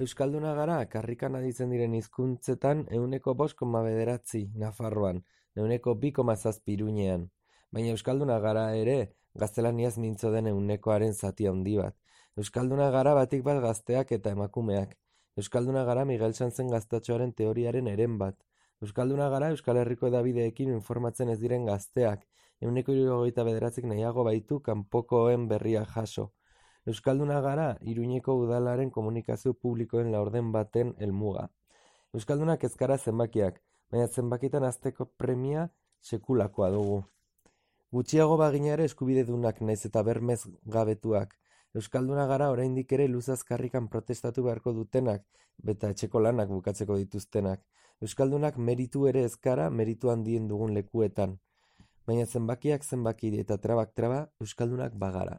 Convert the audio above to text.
Euskalduna gara karrikan aditzen diren hizkuntzetan 5,9 Nafarroan, 2,7 Iruñean. Baina euskalduna gara ere, gaztelaniaz mintzo den 1%aren zati handi bat. Euskalduna gara batik bat gazteak eta emakumeak. Euskalduna gara Miguel Sanzen gaztatxoaren teoriaren eren bat. Euskalduna gara Euskal Herriko hedabideekin informatzen ez diren gazteak, 9,79 nahiago baitu kanpokoen berria jaso. Euskalduna gara Iruñeko udalaren komunikazio publikoen laurden baten helmuga. Euskaldunak ez gara zenbakiak, baina zenbakitan hazteko premia sekulakoa dugu. Gutxiago bagina ere eskubidedunak naiz eta bermez gabetuak. Euskalduna gara oraindik ere luzaz karrikan protestatu beharko dutenak, beta etxeko lanak bukatzeko dituztenak. Euskaldunak meritu ere ez gara meritu handien dugun lekuetan. Baina zenbakiak zenbaki eta trabak traba, euskaldunak bagara.